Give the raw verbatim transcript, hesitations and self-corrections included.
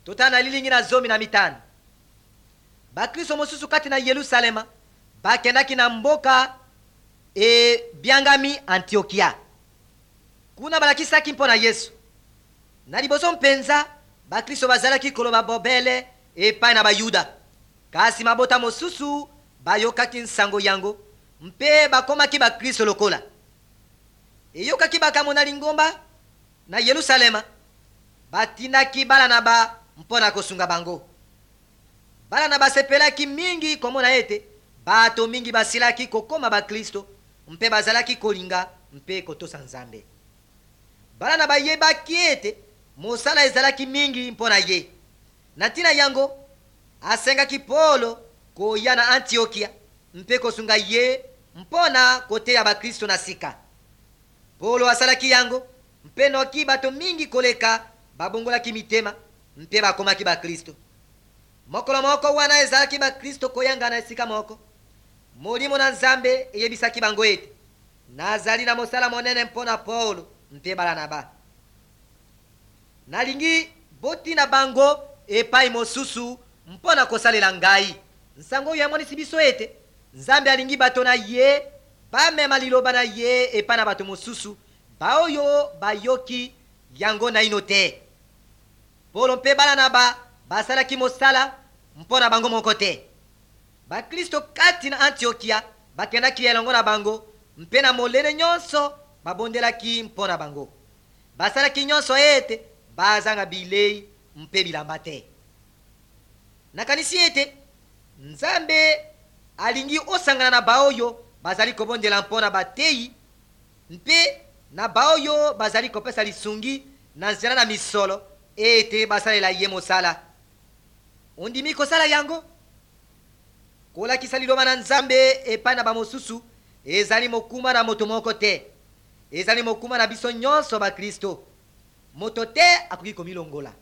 totana lilingi na zomi na mitano. Bakristo mosusu kati na Yerusalema bakendaki na mboka e biangami Antiokia. Kuna balakisaki mpo na Yesu. Na liboso mpenza bakristo bazalaki koloba bobele epai na bayuda. Kasi mabota mosusu bayokaki nsango yango mpe bakomaki bakristo lokola. Eyokaki bakamona lingomba na Yerusalema batindaki Baranaba mpona kosunga bango. Baranaba sepelaki mingi komona ete bato mingi basilaki kokoma bakristo mpe bazalaki kolinga mpe kotosa Nzambe. Baranaba yebaki ete mosala ezalaki mingi mpona ye. Na ntina yango asengaki Paulo koya na Antiokia mpe kosunga ye mpona koteya bakristo na sika. Paulo asalaki yango mpe noki bato mingi koleka babongolaki mitema mpe bakomaki bakristo. Mokolo moko wana ezalaki bakristo koyanga na esika moko, molimo na Nzambe eyebisaki bango ete nazali na mosala monene mpona Paulo mpe Baranaba. Nalingi botina bango epai mosusu mpona kosalela ngai. Nsango oyo yamonisi biso ete Nzambe alingi bato na ye bamema liloba na ye epai na bato mosusu baoyo bayoki yango na ino te. Paulo mpe Baranaba basalaki mosala mpona bango moko te. Bakristo kati na Antiokia bakendaki elongo na bango mpe na molele nyonso babondelaki mpona bango. Basalaki nyonso ete bazanga bilei mpe bilamba te. Nakanisi ete Nzambe alingi osangana na baoyo bazali kobondela mpona bateyi mpe na baoyo bazali kopesa lisungi na nzela na misolo ete basalela ye mosala. Ondimi kosala yango? Kolakisa liloba na Nzambe epai na bamosusu ezali mokuma na moto moko te. Ezali mokuma na biso nyonso bakristo. Moto te akoki komilongola.